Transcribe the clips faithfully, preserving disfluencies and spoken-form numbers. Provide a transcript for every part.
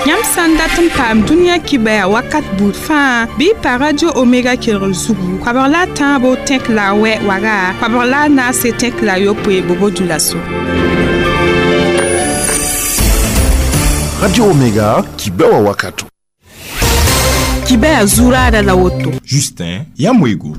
Yãmb sã n dat n paam dũniyã kibaya wakat buud fãa bɩ y pa Radio Omega kelgr zugu koabg la a tãabo tẽk la a wɛ waga koabg la a naase tẽk la a yopoe bobo dulaso. Radio Omega kibewa wakato. Kibaya zurada la woto. Justin Yamwego.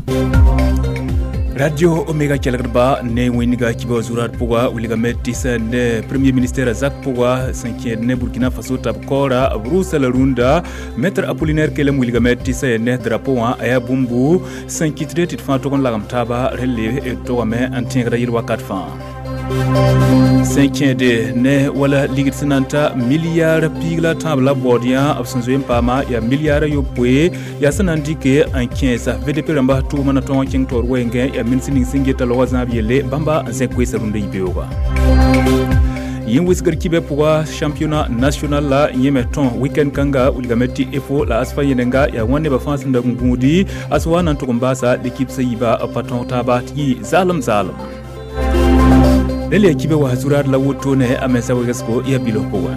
Radio Omega kelgrba ne wẽnga kiba zurat pʋga wilgame tɩ sã ne premier ministre zak pʋga sẽn kẽed ne Burkina Faso t'a b kaoora b rʋʋsa la rũndã maître Apollinaire Kelem wilgame tɩ sã ne drapeau wã a yaa bũmbu sẽn kɩtde tɩ d fãa tog n lagem taaba rẽ le togame n tẽegda yel wakat fãa sẽn kẽede ne wala ligd sẽn na n ta milliard piig la tãab la baood yã b sẽn zoe n paama yaa milliard a yopoe yaa sẽn na n dɩke n kẽesa V D P rãmba tʋʋma na tõog n kẽng taoor wɛɛngẽ yaa min sẽn ning sẽn geta loga zãab yelle bãmba n zẽk koeesa rũndã yibeooga yẽ wɩsgr kibɛ pʋga championnat national la yẽme tõe weekend kãnga wilgame tɩ E F O la ASFA yẽnenga yaa wãn nebã fãa sẽn dag n gũudi a sẽn wa na n tʋg n baasa l'équipe sã yiiba pa tõog taaba tɩ yɩ zaalem zaalem rẽla yaa kibɛ wa zuraad la woto ne a mensa wegsgo yaa bilf pʋgẽ.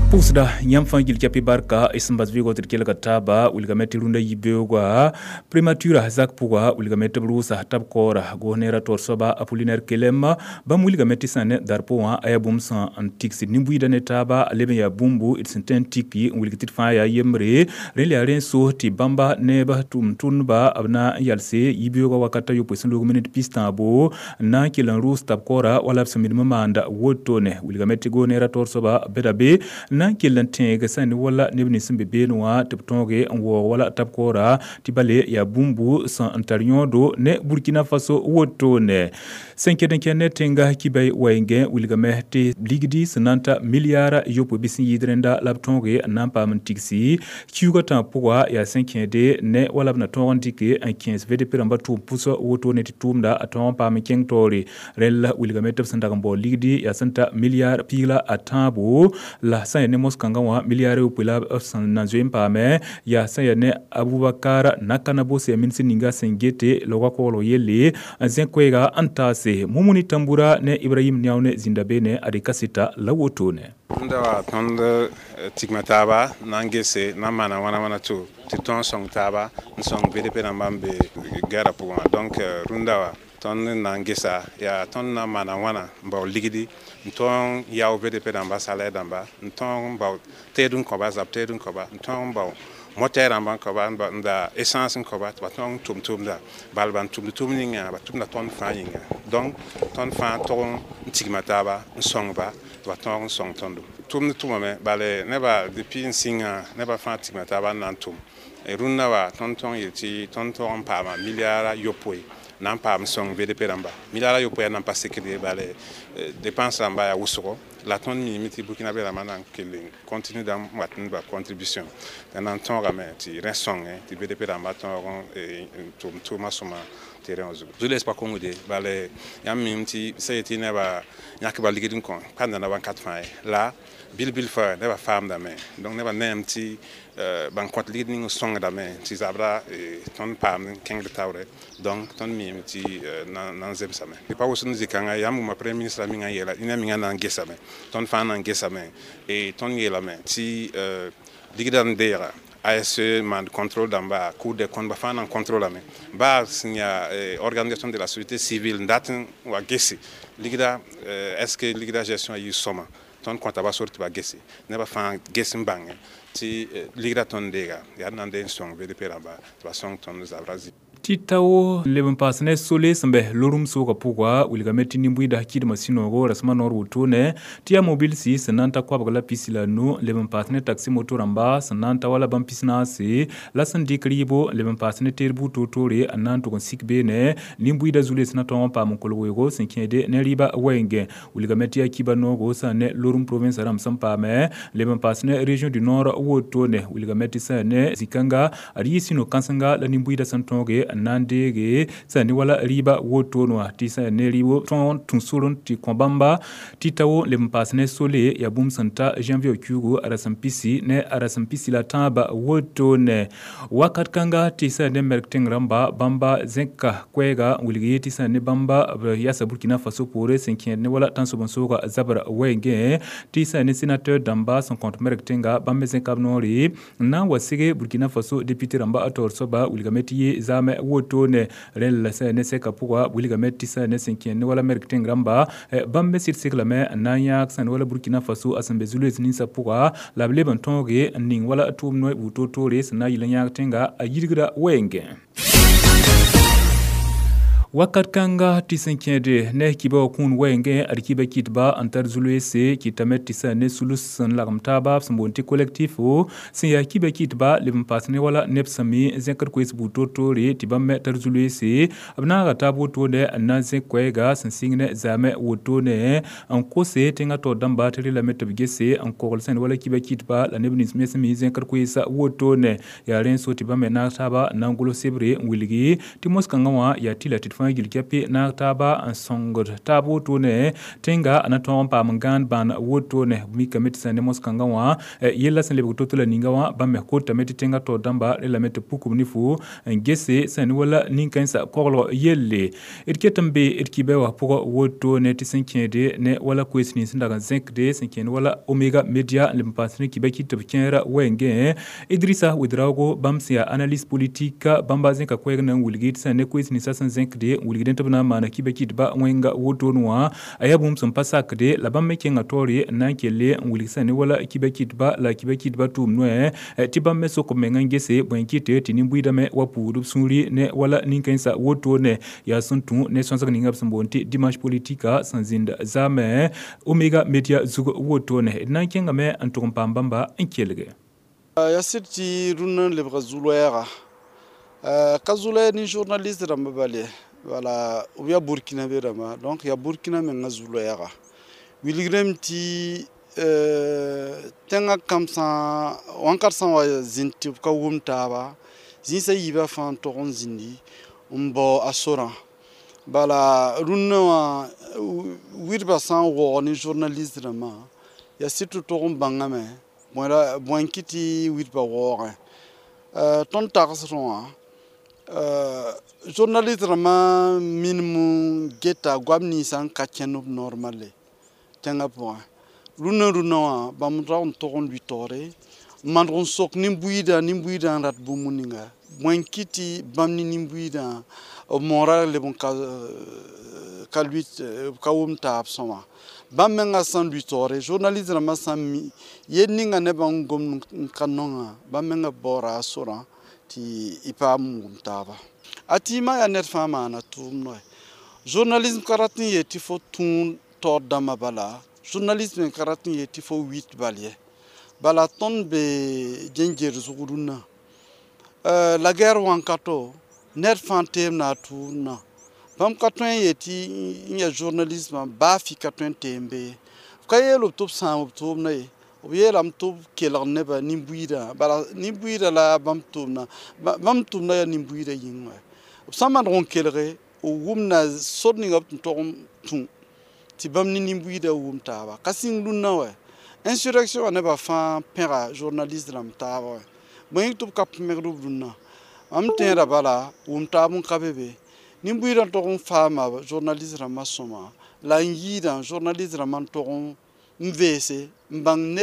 Pʋʋsda yãmb fãa gil kɛpɩ barka y sẽn bas vɩɩgɔ tɩ d kelga taaba wilgame tɩ rũndã yibeoogã primature zak pʋga wilgame tɩ b rʋʋsa t'a b kaoora gos-neerã taoor soaba Apollinaire Kelem bãmb wilgame tɩ sã ne darpo wã a yaa bũmb sẽn n tigsd nin-buiidã ne taaba a leb n yaa bũmbu d sẽn tõe n tiki n wilg tɩ d fãa yaa yembre rẽ la yaa rẽ n sos tɩ bãmba neb tʋm-tʋmdba b na n yalse yibeoogã wakat a yopoe sẽn loog minit pis-tãabo n na n kell n rʋʋs t'a b kaoora wala b sẽn minim n maanda wotone wilgame tɩ gos-neerã taoor soaba beda be na n kell n tẽeg sã ne wala neb nins sẽn be beene wã tɩ b tõoge n waoog wala t'a b kaoora tɩ bale yaa bũmbu sẽn n tar yõodo ne Burkina Faso wotone sẽn ket n kẽnd ne tẽnga kibay wɛɛngẽ wilgame tɩ ligdi sẽn na n ta milliard yopoe bɩ sẽn yɩɩd rẽnda la b tõoge n na n paam n tigsi kiuugã tãab pʋga yaa sẽn kẽede ne wala b na tõog n dɩke n kẽes V D P rãmbã tʋʋm pʋsg wotone tɩ tʋʋmda a tõog n paam n kẽng taoore rẽnd la wilgame tɩ b sẽn dag n baood ligdi yaa sẽn ta milliard piig la a tãabo la sã yaa ne mos-kãngã wã milliard yopoe la b sẽn na zoe n paame yaa sã yaa ne Aboubacar Nakanabo sẽn yaa min sẽn ninga sẽn gete loga koglg yelle n zẽ koɛɛga n taase Mumuni Tambura ne Ibrahim Niaw ne zĩnda beene ad kaseta la wotone. Rũndã wa tõnd tigma taaba na n gese na n maana wãna wãna to tɩ tõog n sõng taaba n sõng V D P rãmbã n be gɛɛrã pʋgẽ wã donc rũndã wa tõnd n na n gesa yaa tõnd na n maana wãna n bao ligdi n tõog n yao V D P rãmba salaire dãmba n tõog n bao teed n kõba zab teed n kõba n tõog n bao moteur rãmba n kõba n da essence n kõba tɩ ba tõog n tʋm tʋmda bal ban tʋmd tʋm ninga ba tʋmda tõnd fãa yĩnga donc tõnd fãa tog n tigma taaba n sõngba tɩ ba tõog n sõng tõndo tʋmd tʋmame bale nebã depuis n sĩnga nebã fãa tigma taaba n na n tʋm rũndã wa tõnd tõog n yel tɩ tõnd tõog n paama milliard a yopoe na n paam sõng V D P rãmba milliard a yopoe yaa nan pa sekd ye bale dépense rãmba yaa wʋsgo la tõnd miime tɩ burkinabé rãmbã na n kell n continue da n wat n ba contribution t'a na n tõogame tɩ rẽ sõngẽ tɩ V D P rãmbã tõog n tʋm tʋʋmã sõma terrain zugu zules pa kongde bale yãmb miime tɩ sã yetɩ nebã yãkba ligd n kõ pa nana wãnkat fãa ye la bil bil fa nebã faamdame donc nebã neem tɩ ban kõt ligd ning n sõngdame tɩ zabra tõnd paam n kẽngd taoore donc tõnd miime tɩ na n zemsame pa wʋsd n zĩ-kãnga yãmb wʋma premier ministre mingã yeela ned mingã na n gesame tõnd fãa na n gesame tõnd yeelame tɩ ligdã n deega A S E mand contrôle dãmba Cour des comptes ba fãa na n contrôlame baa sẽn yaa organisation de la société civile n dat n wa gese ligda est ce que ligda gestion a yɩ sõma tõnd kõta ba sor tɩ ba gese nebã fãa ges n bãngẽ tɩ ligda tõnd deega yaa d na n dee n sõng V D P rãmba tɩ ba sõng tõnd zabra zĩ tɩ tao leb n paas ne sole sẽn bɛ lorum soogã pʋga wilgame tɩ nin-buiida kɩdmã sũ-noogo rasmã noor wotone tɩ yaa mobilsi sẽn na n ta koabg la pisi la nu leb n paas ne taxi moto rãmba sẽn na n ta wala bãmb pis-naase la sẽn dɩk rɩɩbo leb n paas ne teed buud toor-toore n na n tʋg n sik beene nin-buiidã zu-loees na tõog n paam n kolg weoogo sẽn kẽede ne rɩɩbã wɛɛngẽ wilgame tɩ yaa kiba noogo sã ne lorum province rãmb sẽn paame leb n paas ne région du nord wotone wilgame tɩ sã ne zĩ-kãnga ad yɩ sũ-no-kãsenga la nin-buiidã sẽn tõoge n na n deege sã ne wala rɩɩba wotone wã tɩ sã ne rɩɩb tõog n tũ sor n tɩ kõ bãmba tɩ ta wo leb n paas ne sole yaa bũmb sẽn ta janvier kiuugu a rasem pisi ne a rasem pisi la tãabã wotone wakat kãnga tɩ sã ne merk tẽng rãmba bãmba zẽka koɛɛga n wilg ye tɩ sã ne bãmba b yasa Burkina Faso poore sẽn kẽed ne wala tãnsoben-soogã zabra wɛɛngẽ tɩ sã ne sénateur dãmba sẽn kõt merk tẽnga bãmb me zẽka b noore n na n wa sege Burkina Faso député rãmba a taoor soaba wilgame tɩ ye zaamẽ wotone rẽnd la sã ne sɛka pʋga wilgame tɩ sã ne sẽn kẽed ne wala merk tẽng rãmba bãmb me sɩd seglame n na n yãag sã ne wala Burkina Faso a sẽn be zu-loees ninsã pʋga la b leb n tõoge n ning wala tʋʋm noy buud toor-toore sẽn na n yɩl n yãag tẽnga a yirgra wɛɛngẽ. Wakat kãnga tɩ sẽn kẽede ne kiba wã kũun wɛɛngẽ ad kiba kɩtba n tar zu-loeese kɩtame tɩ sã ne sulus sẽn lagem taaba b sẽn boond tɩ collectif sẽn yaa kiba kɩtba leb n paas ne wala neb sẽn mi zẽkd koees buud toor-toore tɩ bãmb me tar zu-loeese b naaga taab wotone n na n zẽk koɛɛga sẽn sɩng ne zaamẽ wotone n kose tẽngã taoor dãmba tɩ relame tɩ b gese n kogl sẽn wala kiba kɩtba la neb nins me sẽn mi zẽkd koeesã wotone yaa rẽ n so tɩ bãmb me naag taaba n na n gʋls sebre n wilgi tɩ mos-kãngã wã yaa tɩ la tɩ d fãa gil kɛpɩ naag taaba n sõngd taab wotone tẽnga a na tõog n paam n gãan bãan wotone mikame tɩ sã ne mos-kãngã wã yella sẽn lebg to-to la ninga wã bãmb me kotame tɩ tẽngã taoor dãmba relame tɩ puk b ne-fu n gese sã ne wala nin-kãensã koglg yelle d ket n be d kiba wã pʋgã wotone tɩ sẽn kẽede ne wala koees nins sẽn dag n zẽkde sẽn kẽed wala Omega Media n leb n paas ne kiba kɩt tɩ b kẽera wɛɛngẽ Idrissa Ouedraogo bãmb sẽn yaa analyste politique bãmba zẽka koɛɛg na n wilgi tɩ sã ne koees ninsã sẽn zẽkde n wilgdẽ tɩ b na n maana kiba kɩtba wẽnga wotone wã a yaa bũmb sẽn pa sakde la bãmb me kẽnga taoore n na n kelle n wilg sã ne wala kiba kɩtba la kiba kɩtba tʋʋm noɛ tɩ bãmb me sok b meng n gese bõe n kɩte tɩ nin-buiidame wa puud b sũuri ne wala nin-kãensã wotone yaa sẽn tũ ne sõsg ninga b sẽn boond tɩ dimanche politique sẽn zĩnd zaamẽ Omega Media zug wotone d na n kẽngame n tʋg n paam bãmba n kelge. Ya sɩd tɩ rũnnã n lebga zu-loɛɛga ka zu-loɛɛg ne journaliste rãmba bal ye wala b yaa burkina be rãmba donc yaa burkina menga zu-loɛɛga wilgrame tɩ tẽngã kam sã wãnkat sã n wa zĩnd tɩ b ka wʋm taaba zĩisã yiibã fãa n tog n zĩndi n bao a sorã bala rũnnã wã wɩdbã sã n waoog ne journaliste rãmbã yaa sɩd tɩ tog n bãngame bõe n kɩ tɩ wɩdbã waoogẽ tõnd tagsdẽ wã journaliste rãmbã minim geta goam ninsã n ka kẽnd b normal tẽngã pʋgẽ rũnnã rũnnã wã bãmb rag n tog n lʋɩ taoore n maneg n sok nin-buiidã nin-buiidã n rat bũmb ninga bõe n kɩ tɩ bãmb ne nin-buiidã b moora leb n ka ka lʋɩ ka wʋm taab sõma bãmb menga sã n lʋɩ taoore journaliste rãmbã sã n mi yel ninga nebã n gomd n ka nonga bãmb menga baoora a sorã tɩ y paam n wʋm taaba a tɩɩmã yaa ned fãa maana tʋʋm noɛ journalisme ka rat n yeel tɩ fo tũud taoor dãmbã bala journalisme ka rat n yeel tɩ fo wit bal ye bala tõnd be gẽnger zug rũnnã la guerre wãnkato ned fãa teemda a tʋʋmdã bãmb ka tõe n yeel tɩ n yaa journalismã baa fɩ ka tõe n teem be ye b ka yeel b tɩ b sãam b tʋʋmdã ye b yeelame tɩ b kelg nebã nin-buiidã bala nin-buiidã la bãmb tʋʋmdã bãmb tʋʋmdã yaa nin-buiidã yĩng wɛ b sã n maneg n kelge b wʋmda sor ninga b tɩ tog n tũ tɩ bãmb ne nin-buiidã wʋm taaba ka sĩng rũnnã wɛ insurrection wã nebã fãa pẽga journaliste rãmb taaba wɛ bõe tɩ b ka pẽmegd b rũnnã mam tẽeda bala wʋm taab n ka be be nin-buiidã tog n faama journaliste rãmbã sõma la n yɩɩdã journaliste rãmbã n tog n veese n bãng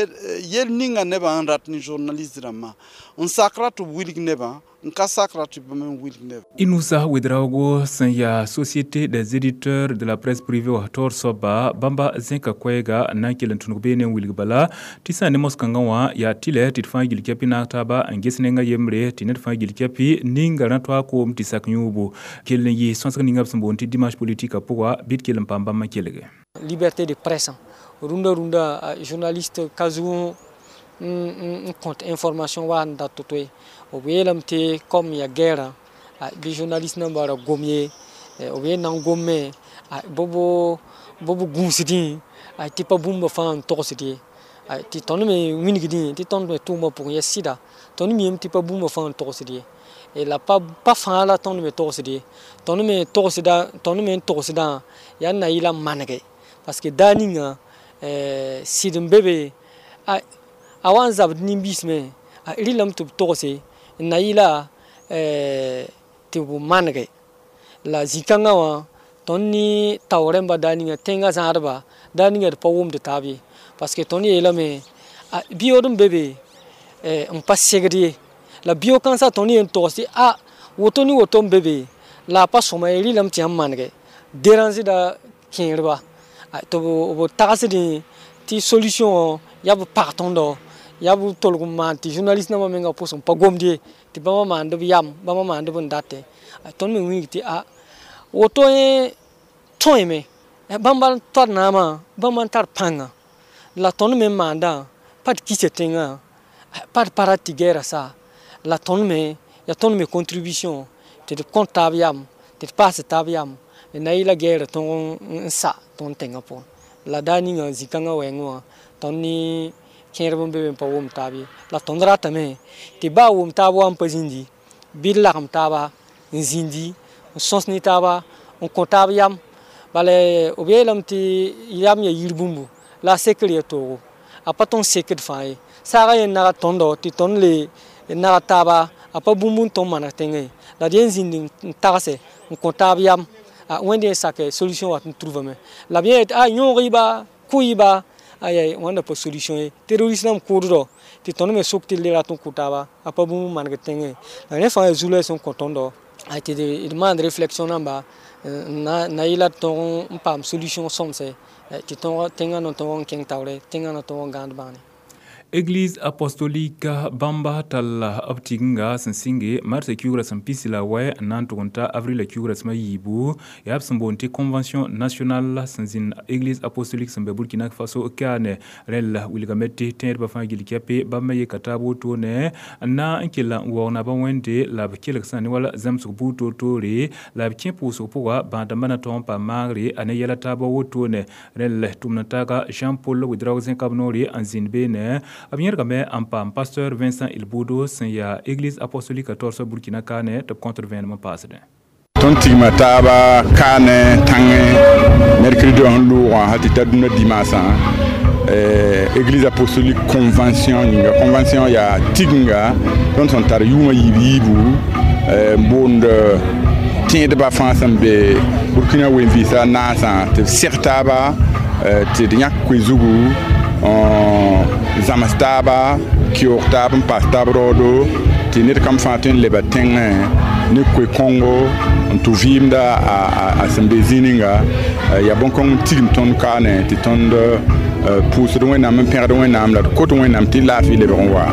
yel ninga nebã n rat ne journaliste rãmbã n sakra tɩ b wilg nebã n ka sakra tɩ bãmb n wilg nebã. Inoussa Ouedraogo sẽn yaa Société des éditeurs de la presse privée wã taoor soaba bãmba zẽka koɛɛga n na n kell n tũnug beene n wilg bala tɩ sã ne mos-kãngã wã yaa tɩlɛ tɩ d fãa gil kɛpɩ naag taaba n ges nenga yembre tɩ ned fãa gil kɛpɩ ninga rã toa koom tɩ sak yũubu kell n yɩ sõsg ninga b sẽn boond tɩ dimanche politique pʋga bɩ d kell n paam bãmb n kelge. Liberté de presse rũndã rũndã journaliste ka zug n kõt information wa n dat to-to ye b yeelame tɩ comme ya guerre bɩ journaliste nambã ra gom ye b yel na n gomme bɩ b gũusdẽ tɩ pa bũmba fãa n togsd ye tɩ tõnd me wilgdẽ tɩ tõnd me tʋʋmã pʋgẽ yaa sɩda tõnd miame tɩ pa bũmba fãa n togsd ye La pa pa fãa la tõnd me togsd ye tõnd me togsda tõnd me n togsdã yaa na yɩla manege parce que daa ninga sɩd n be be a wa n zabd nin-biis me a rɩlame tɩ b togse n na yɩla tɩ b manege la zĩ-kãngã wã tõnd ne tao rẽmba daa ninga tẽngã zãadba daa ninga d pa wʋmd taab ye parce que tõnd yeelame biyood n be be n pa segd ye la bio kãnsã tõnd yen togs tɩ a woto ne woto n be be la a pa sõma ye rɩlame tɩ yãmb manege dérangeda kẽerba tɩ b tagsdẽ tɩ solution wã yaa b pag tõndo yaa b tolg n maan tɩ journaliste nambã menga pʋs n pa gomd ye tɩ bãmba maand b yam bãmba maand b n datẽ tõnd me wilg tɩ a woto yẽ tõeme bãmba n tar naamã bãmba n tar pãnga la tõnd me n maandã pa d kisa tẽngã pa d pa rat tɩ gɛɛra sa la tõnd me yaa tõnd me contribution tɩ d kõt taab yam tɩ d paas taab yam na yɩla gɛɛra tõg n sa tõnd tẽngã pʋgẽ la daa ninga zĩ-kãngã wɛɛngẽ wã tõnd ne kẽerb n be be n pa wʋm taab ye la tõnd ratame tɩ baa wʋm taab wa n pa zĩndi bɩ d lagem taaba n zĩndi n sõs ne taaba n kõ taab yam bala b yeelame tɩ yam ya yir bũmbu la a sekr ya toogo a pa tõnd sekd fãa ye saagã yẽ nag tõndo tɩ tõnd le nag taaba a pa bũmb n tõnd maneg tẽngã ye la d yen zĩnd n tagse n kõ taab yam wẽnd yẽ sake solution wat n truvame la b yẽ a yõog-y-ba kʋ-y-ba aya wãnda pa solution ye terroriste rãmb kʋʋddo tɩ tõnd me sok tɩ d le rat n kʋ taaba a pa bũmb n maneg tẽngẽ la rẽ fãa yaa zu-loɛɛs n kõ tõndo tɩ d maand réflexion namba na yɩla d tõog n paam solution sõmse tɩ tẽngã na tõog n kẽng taoore tẽngã na tõog n gãand bãane. Église apostolique bãmba tall b tiginga sẽn sɩnge marsã kiugrã sẽn pisi la wɛ n na n tʋg n ta avril kiugrã sẽm a yiibu yaa b sẽn boond tɩ convention nationale sẽn zĩnd église apostolique sẽn be Burkina Faso kaane rẽl wilgame tɩ tẽedbã fãa gill kɛpe bãmb me yeka taab wotone n na n kell n waoog nabã wẽnde la b kelg sã ne wala zãmsg buud toor-toore la b kẽ pʋʋsg pʋga bãad-dãmbã na tõog n paam maagre a ne yɛla taabã wotone rẽl tʋmd taaga Jean-Paul Ouedraogo zẽkab noore n zĩnd beene b yẽrgame n paam pasteur Vincent Ilboudo sẽn yaa église apostolique torsã Burkina kaane tɩ b kõtd vẽenem n paasdẽ. Tõnd tigma taaba kaane tãngẽ mercredi wã sẽn loogã hal tɩ ta dũnna dimaasã église apostolique convention yĩnga convention yaa tiginga tõnd sẽn tar yʋʋmã yiib yiibu n boond tẽedbã fãa sẽn be Burkina wen-vɩɩsã naasã tɩ b seg taaba tɩ d yãk koe zugu zãms taaba keoog taab n paas taab raoodo tɩ ned kam fãa tõe n leba tẽngẽ ne koe-kõngo n tʋ vɩɩmda a sẽn be zĩig ninga yaa bõn-kõng n tigim tõnd kaane tɩ tõnd pʋʋsd Wẽnnaam n pẽgd Wẽnnaam la d kot Wẽnnaam tɩ laafɩ lebg n wa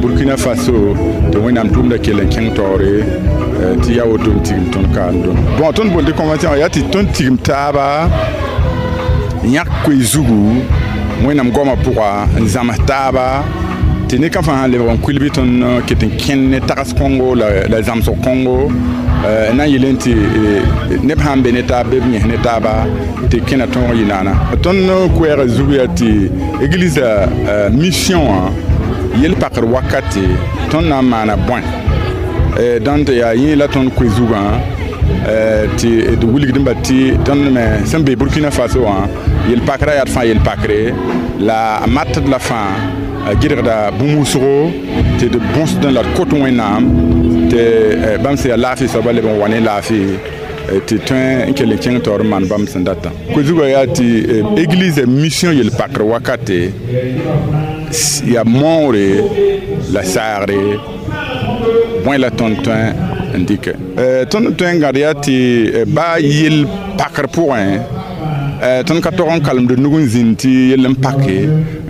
Burkina Faso tɩ Wẽnnaam tʋʋmda kell n kẽng taoore tɩ yaa woto n tigim tõnd kaan dõm bon tõnd boond tɩ convention yaa tɩ tõnd tigim taaba yãk koe zugu Wẽnnaam goamã pʋga n zãms taaba tɩ ned kam fãa sãn lebg n kuil bɩ tõnd ket n kẽnd ne tags kõngo la zãmsg kõngo na n yɩl tɩ neb sãn be ne taab bɩ b yẽs ne taaba tɩ kẽna tõog yɩ naana tõnd koɛɛgã zug yaa tɩ église mission wã yel-pakr wakate tõnd na n maana bõe dãn tɩ yaa yẽ la tõnd koe zugã tɩ d wilgdẽmba tɩ tõnd me sẽn be Burkina Faso wã yel-pakrã yaa d fãa yel-pakre la a matd la fãa gɩdgda bũmb wʋsgo tɩ d bõsdẽ la d kot Wẽnnaam tɩ bãmb sẽn yaa laafɩ soabã leb n wa ne laafɩ tɩ tõe n kell n kẽng taoor n maan bãmb sẽn datã koe-zugã yaa tɩ église mission yel-pakr wakate yaa moore la saagre bõe la tõnd tõe n dɩkɛ tõnd tõe n gãd yaa tɩ baa yel-pakr pʋgẽ tõnd ka tog n kalemd nug n zĩnd tɩ yell n pake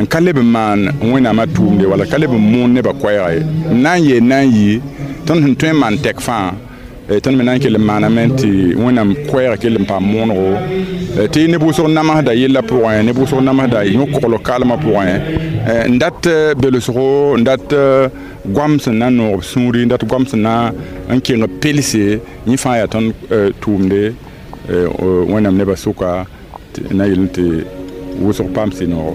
n ka leb n maan Wẽnnaamã tʋʋmde wala ka leb n moon nebã koɛɛga ye n na n yeel na n yɩ tõnd sẽn tõe n maan tɛk fãa tõnd me na n kell n maaname tɩ Wẽnnaam koɛɛga kell n paam moonego tɩ neb wʋsg namsda yellã pʋgẽ neb wʋsg namsda yõ-kogl kaalmã pʋgẽ n dat belsgo n dat goam sẽn na n noog b sũuri n dat goam sẽn na n keng pelse yẽ fãa yaa tõnd tʋʋmde Wẽnnaam nebã sʋka na yel tɩ wʋsg paam sɩ-noogo.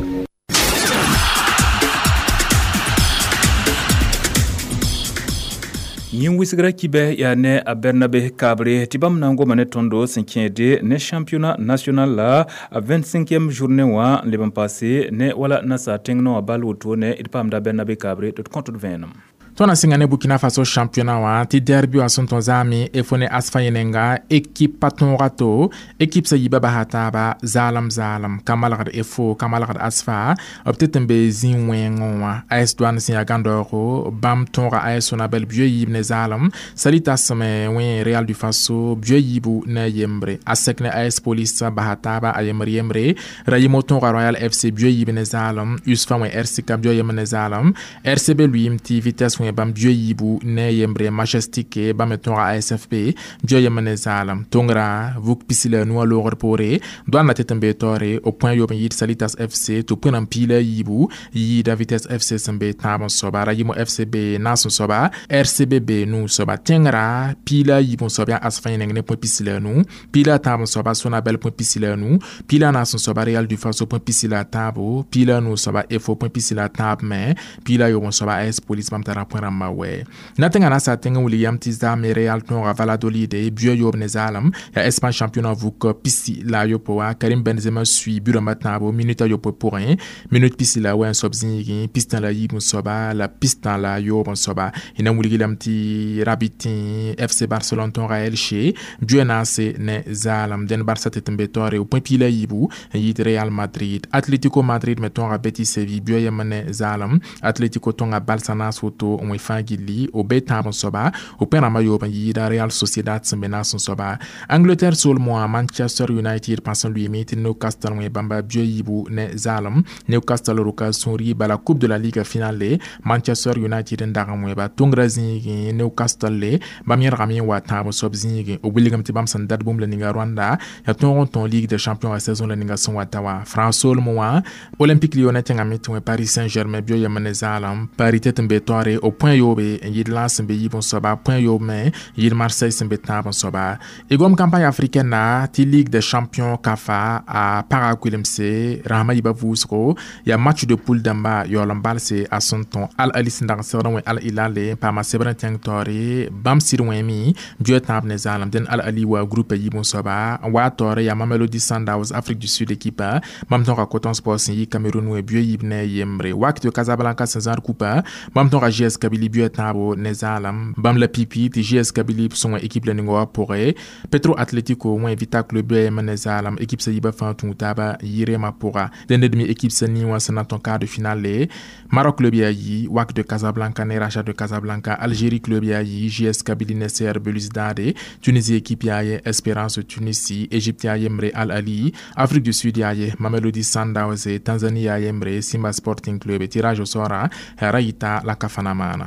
Yĩn wisgra kibɛ yaa ne a Bernabe Kabre tɩ bãmb na n goma ne tõndo sẽn kẽede ne championnat national la a vingt-cinquième journée wã n leb n paase ne wala nasaar tẽng no wã bal woto ne d paamda Bernabe Kabre tɩ d kõt d vẽenem. Tõnd na sɩnga ne Burkina Faso championnat wã tɩ derby wã sẽn tõn zaame efo ne ASFA yẽnenga équipe pa tõoga to équipe sã yiibã basa taaba zaalem zaalem ka malgd efo ka malgd ASFA b tɩ tɩ n be zĩ wẽengẽ wã A S Douane sẽn yaa gãndaoogo bãmb tõoga A S Sonabel bio yiib ne zaalem Salitas me wẽ Real du Faso bio yiibu ne yembre ASEC ne A S Police basa taaba a yembr yembre Rayimo tõoga Royal F C bio yiib ne zaalem USFA wẽ R C K bio yembr ne zaalem R C B lʋɩɩm tɩ Vitesse wẽ bãmb bio yiibu ne yembre Majestic bãmb me tõoga A S F P bio yembr ne zaalem tõngra vuk pisi la nu a loogr poore Douane la tɩ tɩ n bee taoore b põe yoob n yɩɩd Salitas F C tɩ b põe n piila yiibu yiida Vitesse F C sẽn be tãab n soaba Rayimo F C be naas n soaba R C B be nuu soaba tẽngrã piila yiib n soab yaa ASFA yẽneng ne põ pisi la nu piila tãab n soaba Sonabel põ pisi la nu piila naas n soaba Real du Faso põ pisi la tãabo piila nuu soaba efo põ pisi la tãab me piila yoob n soaba A S Police bãmb tara põ rãmbã wɛ na tẽngã na sa tẽng n wilg yam tɩ zaame Real tõoga Valladolid bio yoob ne zaalem yaa Espagne championnat vuk pisi la a yopoe wã Karim Benzema sui bu rãmbã tãabo minute a yopoe pʋgẽ minute pisi la wɛ n soab zĩigẽ pistã la yiib n soaba la pistã la yoob n soaba y na n wilg lame tɩ rabitẽ F C Barcelone tõoga Elche bio naase ne zaalem dẽn Barsa tɩ tɩ n be taoore põ piila yiibu n yɩɩd Real Madrid Atlético Madrid me tõoga Betis Séville bio yem ne zaalem Atlético tõnga balsa naas woto n wẽ fãa gilli o be tãab n soaba o pẽ rãmbã yoob n yɩɩda Real Sociedad sẽn be naas n soaba Angleterre soolmẽ wã Manchester United pãs n lʋɩɩme tɩ Newcastle wẽ bãmba bio yiibu ne zaalem Newcastle roka sũuri bala Coupe de la Ligue finale Manchester United n dag n wẽba tõngrã zĩigẽ Newcastle le bãmb yẽrgame n wa tãab n soab zĩigẽ b wilgame tɩ bãmb sẽn dat bũmb la ninga rõanda yaa tõog n tõog Ligue des champions a saison la ninga sẽn wa ta wã France soolmẽ wã Olympique Lyonnais tẽngame tɩ wẽ Paris Saint-Germain bio yem ne zaalem Paris tɩ tɩ n be taoore b põ yoobe n yɩɩd Lens sẽn be yiib n soaba põ yoob me yɩɩd Marseille sẽn be tãab n soaba y gom campagne africaine na tɩ Ligue des champions CAF a paga kuilemse rãsmã yiibã vʋʋsgo yaa match de poule dãmba yaool n balse a sẽn tõ Al Ali sẽn dag n segd n wẽ Al Hilal n paama sebr n tẽng taoore bãmb sɩd wẽme bio tãab ne zaalem dẽn Al Ali wa groupe yiib n soaba n wa taoore yaa Mamelodi Sundowns Afrique du Sud équipe bãmb tõga Coton Sport sẽn yi Cameroun wẽ bio yiib ne yembre Wydad de Casablanca sẽn zãad kupa bãmb tõga J S Kabylie bio tãabo ne zaalem bãmb la pipi tɩ J S Kabylie sõng équipe la ninga wã pʋgẽ Petro Atletico wẽ Vita Club bio yem ne zaalem équipe sã yiibã fãa tũu taaba yɩ-rema pʋga dẽnd d mi équipe sã nii wã sẽn na n tõn quart de finale Maroc club yaa yi Wydad de Casablanca ne Raja de Casablanca Algérie club yaa yi J S Kabylie ne C R Belouizdad Tunisie équipe yaa ye Espérance Tunisie Égypte yaa yembre Al Ali Afrique du Sud yaa ye Mamelodi Sundowns Tanzanie yaa yembre Simba Sporting Club tirage au sort ra yita la CAF na maana.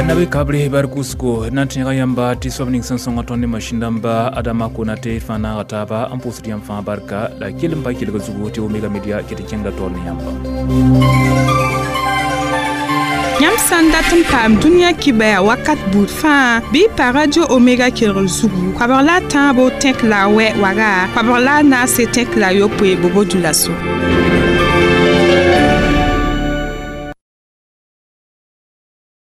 Nabe kabre bar kusko nan tẽega yãmba tɩ soab ning sẽn sõnga tõnd ne masĩn dãmba Adama Konate fãa naaga taaba n pʋʋsd yãmb fãa barka la kell n pa kelg zugu tɩ Omega Media ket n kẽngda taoor ne yãmba. Yãmb sã n dat n paam dũniyã kibɛa wakat buud fãa bɩ y pa Radio Omega kelgr zugu koabg la a tãabo tẽk la a wɛ waga koabg la a naase tẽk la a yopoe bobo dulaso.